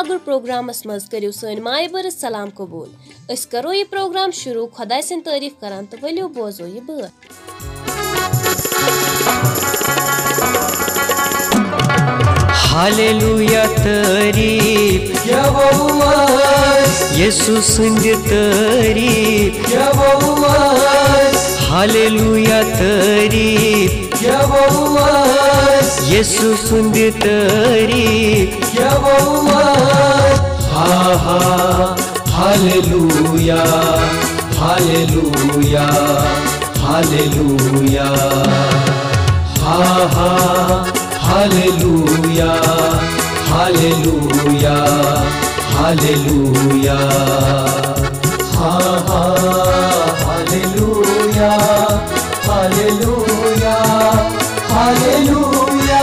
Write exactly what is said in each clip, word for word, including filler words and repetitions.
اگر پروگرامس منٛز کٔرِو سٲنۍ مایہِ بٔرٕژ سلام قبوٗل۔ أسۍ کرو یہِ پروگرام شروٗع خۄداے سٕنٛدۍ تعریٖف کران تہٕ ؤلِو بوزو یہِ بٲتھ۔ ہالِلوٗیا تعریٖف یَہوہَس، یسوع سٕنٛدِ تعریٖف یَہوہَس۔ ہالِلوٗیا تعریٖف یَہوہَس، یسوع سٕنٛدِ تعریٖف یَہوہَس۔ ہا ہا، ہالِلوٗیا، ہالِلوٗیا، ہالِلوٗیا۔ ہا ہا، ہالِلوٗیا، ہالِلوٗیا، ہالِلوٗیا۔ ہا ہا، ہالِلوٗیا، ہالِلوٗیا، ہالِلوٗیا۔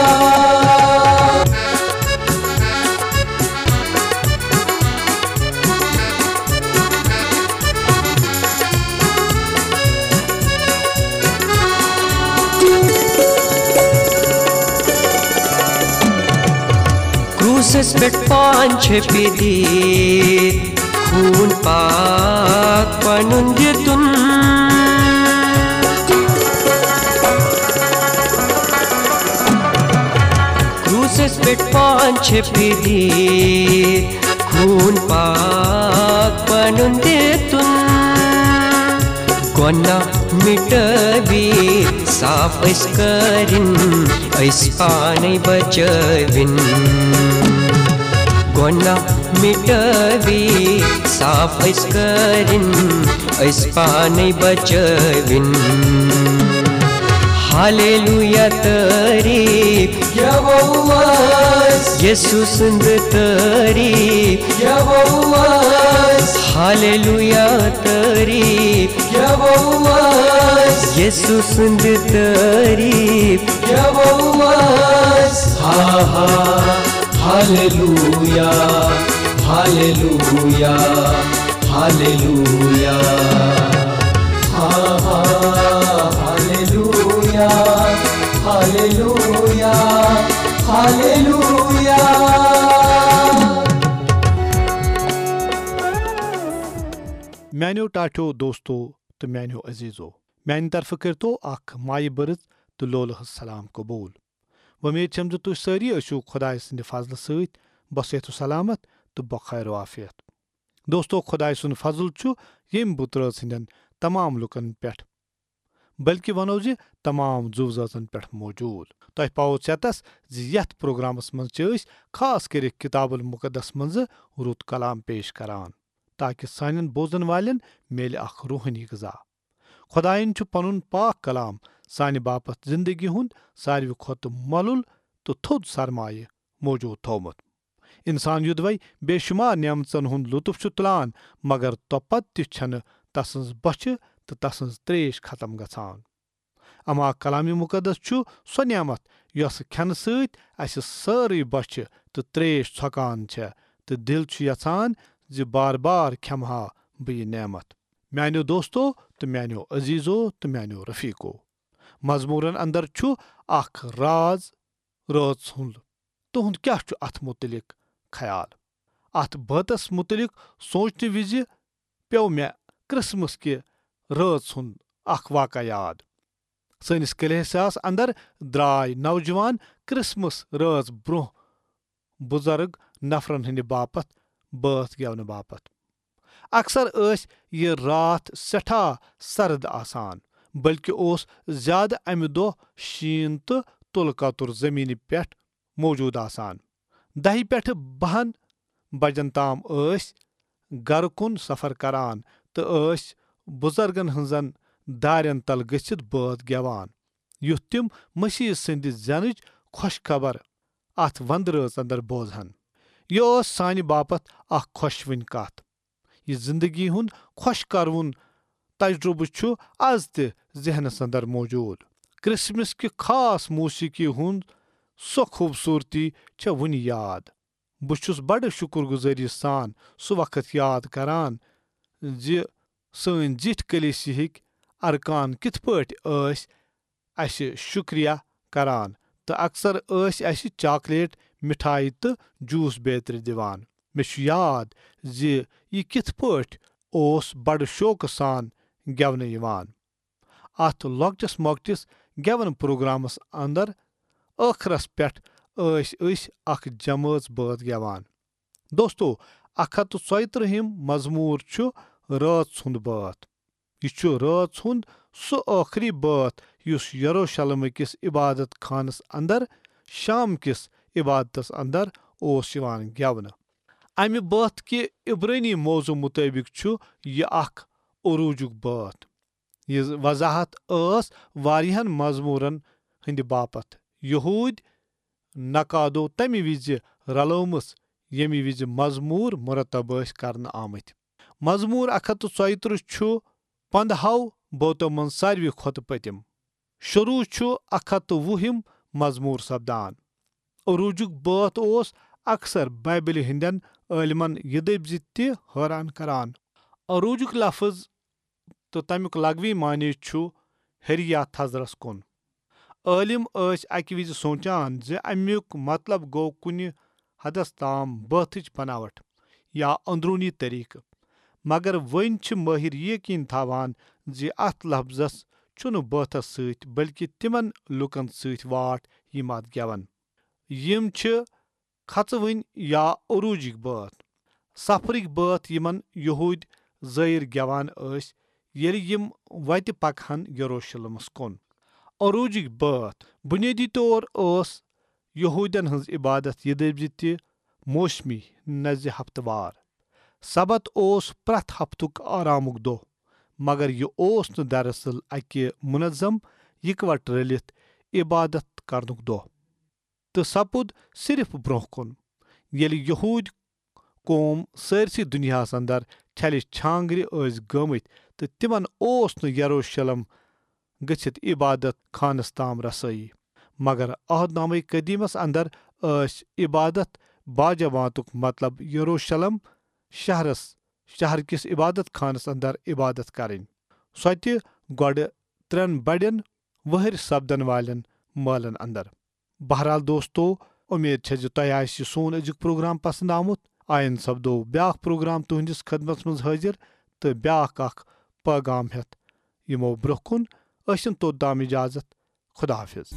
کروسس پٮ۪ٹھ پان چھپہِ دِتھ، خوٗن پاک پنُن دِتُن۔ کروسس پٮ۪ٹھ پان چھپہِ دِتھ، خوٗن پاک پنُن دِتُن۔ گۄناہ مٹٲوِتھ صاف أسۍ کٔرِن، أسۍ پانے بچٲوِن۔ گۄناہ مٹٲوِتھ صاف أسۍ کٔرِن، أسۍ پانے بچٲوِن۔ ہالِلوٗیا تعریٖف یَہوہَس، یسوع سٕنٛدِ تعریٖف یَہوہَس۔ ہالِلوٗیا تعریٖف یَہوہَس، یسوع سٕنٛدِ تعریٖف یَہوہَس۔ ہا ہا، ہالِلوٗیا، ہالِلوٗیا، ہالِلوٗیا۔ ہا ہا، ہالِلوٗیا، ہالِلوٗیا، ہالِلوٗیا۔ میانیو ٹاٹھیو دوستو تہٕ میانیو عزیزو، میانہِ طرفہٕ کٔرتو اکھ مایہِ بٔرٕژ تہٕ لولہٕ ہٕنٛز سلام قبول۔ وۄمید چھم زِ تُہۍ سٲری ٲسِو خۄداے سٕنٛدِ فضلہٕ سۭتۍ بصحت و سلامت تہٕ بخیر و عافیت۔ دوستو، خۄداے سُنٛد فضل چھُ ییٚمہِ بُتہٕ رٲژ ہٕنٛدٮ۪ن تمام لُکن پٮ۪ٹھ، بلکہِ ونو زِ تمام زُو زٲژن پٮ۪ٹھ موجود۔ تۄہہِ پاوو ژٮ۪تس زِ یتھ پروگرامس منٛز چھِ أسۍ خاص کٔرِتھ کتاب المقدس منٛزٕ رُت کلام پیش کران، تاکہ سانٮ۪ن بوزن والٮ۪ن میلہِ اکھ روحٲنی غذا۔ خۄدایَن چھُ پنُن پاک کلام سانہِ باپتھ زندگی ہُنٛد ساروی کھۄتہٕ مۄلُل تہٕ تھوٚد سرمایہِ موجود تھوومُت۔ انسان یوٚدوے بے شمار نعمژن ہُنٛد لطف چھُ تُلان، مگر توپتہٕ تہِ چھنہٕ تسٕنز بۄچھِ تہٕ تسٕنز تریش ختم گژھان۔ اما کلام مقدس چھُ سۄ نعمت یۄس کھٮ۪نہٕ سۭتۍ اسہِ سٲرٕے بۄچھِ تہٕ تریش ژھۄکان چھےٚ، تہٕ دل چھُ یژھان زِ بار بار کھٮ۪مہٕ ہا بہٕ یہِ نعمت۔ میانیو دوستو تہٕ میانیو عزیزو تہٕ میانیو رفیقو، مزمورن اندر چھُ اکھ راز رٲژ ہُنٛد۔ تُہُنٛد کیٛاہ چھُ اتھ مُتعلق خیال؟ اتھ بٲتس مُتعلق سونچنہٕ وِزِ پیوٚو مےٚ کرسمس کہِ رٲژ ہُنٛد اکھ واقعہٕ یاد۔ سٲنِس کلیساہس اندر درٛاے نوجوان کرسمس رٲژ برونٛہہ بُزرگ نفرن ہٕنٛدِ باپتھ بٲتھ گٮ۪ونہٕ باپتھ۔ اکثر ٲسۍ یہِ راتھ سٮ۪ٹھاہ سرد آسان، بلکہِ اوس زیادٕ امہِ دۄہ شیٖن تہٕ تُلہٕ کتُر زٔمیٖنہِ پٮ۪ٹھ موجود آسان۔ دَہہِ پٮ۪ٹھٕ بَہَن بجن تام ٲسۍ گرٕ کُن سفر کران تہٕ ٲسۍ بُزرگن ہٕنٛزن دارٮ۪ن تل گٔژھِتھ بٲتھ گٮ۪وان، یُتھ تِم مسیح سٕنٛدِ زینٕچ خۄش خبر اتھ وندٕ رٲژ اندر بوزہن۔ یہِ ٲس سانہِ باپتھ اکھ خۄشوٕنۍ کتھ۔ یہِ زندگی ہُنٛد خۄش کروُن تجربہٕ چھُ از تہِ ذہنس اندر موجود۔ کرسمس کہِ خاص موسیقی ہُنٛد سۄ خوبصورتی چھےٚ وُنہِ یاد۔ بہٕ چھُس بڑٕ شُکر گُزٲری سان سُہ وقت یاد کران زِ سٲنۍ زِٹھۍ کلیسیہٕکۍ ارکان کِتھ پٲٹھۍ ٲسۍ اسہِ شُکریہ کران تہٕ اکثر ٲسۍ اسہِ چاکلیٹ، مِٹھایہِ تہٕ جوٗس بیترِ دِوان۔ مےٚ چھُ یاد زِ یہِ کِتھ پٲٹھۍ اوس بڑٕ شوقہٕ سان گٮ۪ونہٕ یِوان۔ اتھ لۄکٹِس مۄکٹِس گٮ۪وَن پروگرامس اندر ٲخرس پٮ۪ٹھ ٲسۍ أسۍ اکھ جمٲژ بٲتھ گٮ۪وان۔ دوستو، اکھ ہتھ تہٕ ژۄیہِ ترٕٛہِم مزموٗر چھُ رٲژ ہُنٛد بٲتھ۔ یہِ چھُ رٲژ ہُنٛد سُہ ٲخری بٲتھ یُس یروشلم کِس عبادت خانس اندر شام کِس عبادتس اندر اوس یِوان گٮ۪ونہٕ۔ امہِ بٲتھ کہِ عبرٲنی موضوع مُطٲبِق چھُ یہِ اکھ عروٗجُک بٲتھ۔ یہِ وضاحت ٲس واریاہن مزموٗرن ہٕنٛدِ باپتھ یہوٗدۍ نقادو تمہِ وِزِ رلٲومٕژ، ییٚمہِ وِزِ مزموٗر مرتب ٲسۍ کرنہٕ آمٕتۍ۔ مزموٗر اکھ ہتھ تہٕ ژۄیہِ ترٕٛہ چھُ پندہو بٲتو منٛز ساروی کھۄتہٕ پٔتِم۔ شروٗع چھُ اکھ ہتھ تہٕ وُہِم مزموٗر سپدان۔ عروٗجُک بٲتھ اوس اکثر بائبلہِ ہٕنٛدٮ۪ن عٲلمن یہِ دٔپۍ زِ تہِ حٲران کران۔ عروٗجُک لفظ تہٕ تمیُک لغوی معنی چھُ ہیٚرِ یا تھزرس کُن۔ عٲلم ٲسۍ اکہِ وِزِ سونچان زِ امیُک مطلب گوٚو کُنہِ حدس تام بٲتھٕچ بناوٹ یا اندروٗنی طریقہٕ، مگر وۄنۍ چھِ مٲہِر یہِ یقین تھاوان زِ اتھ لفظس چھُنہٕ بٲتھس سۭتۍ بلکہِ تِمن لوٗکن سۭتۍ واٹھ یِم اتھ گٮ۪ون۔ یِم چھِ کھژوٕنۍ یا عروٗجٕکۍ بٲتھ، سفرٕکۍ بٲتھ یِمن یہوٗدۍ زٲیِر گٮ۪وان ٲسۍ ییٚلہِ یِم وتہِ پکہٕ ہن یروشلمس کُن۔ عروٗجٕکۍ بٲتھ بُنیٲدی طور ٲس یہوٗدٮ۪ن ہٕنٛز عبادت یہِ دٔپۍ زِ تہِ موسمی، نہ زِ ہفتہٕ وار۔ سبت اوس پرٛٮ۪تھ ہفتُک آرامُک دۄہ، مگر یہِ اوس نہٕ دراصل اکہِ منظم، یکوٹہٕ رٔلِتھ عبادت کرنُک دۄہ۔ تہٕ سپُد صرف برونٛہہ کُن، ییٚلہِ یہوٗدۍ قوم سٲرسٕے دُنیاہس اندر چھلہِ چھانگرِ ٲسۍ گٲمٕتۍ تہٕ تِمن اوس نہٕ یروشلم گٔژھِتھ عبادت خانس تام رسٲیی۔ مگر عہد نامہ قدیمس اندر ٲسۍ عبادت باجماعتُک مطلب یروشلم شہرس، شہر کِس عبادت خانس اندر عبادت کرٕنۍ۔ سۄ تہِ گۄڈٕ ترٛٮ۪ن بڑٮ۪ن وہرۍ سپدن والٮ۪ن مٲلن اندر۔ بہرحال دوستو، امید چھےٚ زِ تۄہہِ آسہِ یہِ سون أزیُک پروگرام پسند آمُت۔ آیندٕ سپدو بیاکھ پروگرام تُہنٛدِس خدمتس منٛز حٲضِر تہٕ بیاکھ اکھ پیغام ہٮ۪تھ یِمو برونٛہہ کُن۔ ٲسِن توٚت تام اجازت۔ خدا حافظ۔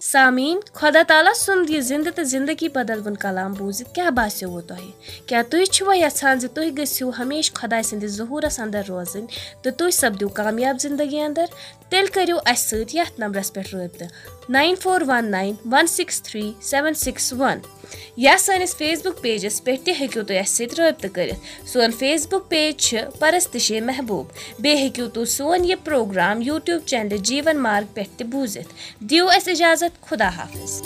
سامعیٖن، خۄدا تعالیٰ سُنٛد یہِ زِنٛدٕ تہٕ زِنٛدگی بدلوُن کلام بوٗزِتھ کیٛاہ باسیووٕ تۄہہِ؟ کیٛاہ تُہۍ چھِوا یژھان زِ تُہۍ گٔژھِو ہمیشہٕ خۄداے سٕنٛدِس ظہوٗرس اندر روزٕنۍ تہٕ تُہۍ سپدِو کامیاب زِنٛدگی اندر؟ تیٚلہِ کٔرِو اَسہِ سۭتۍ یَتھ نمبرس پٮ۪ٹھ رٲبطہٕ، nine four one nine one six three seven six one، یا سٲنِس Facebook pageس پٮ۪ٹھ تہِ ہیٚکِو تُہۍ اَسہِ سۭتۍ رٲبطہٕ کٔرِتھ۔ سون Facebook page چھِ پرستشِ محبوب۔ بیٚیہِ ہیٚکِو تُہۍ سون یہِ پروگرام YouTube channel جیٖون مارگ پٮ۪ٹھ تہِ بوٗزِتھ۔ دِیِو اَسہِ اجازت، خدا حافظ۔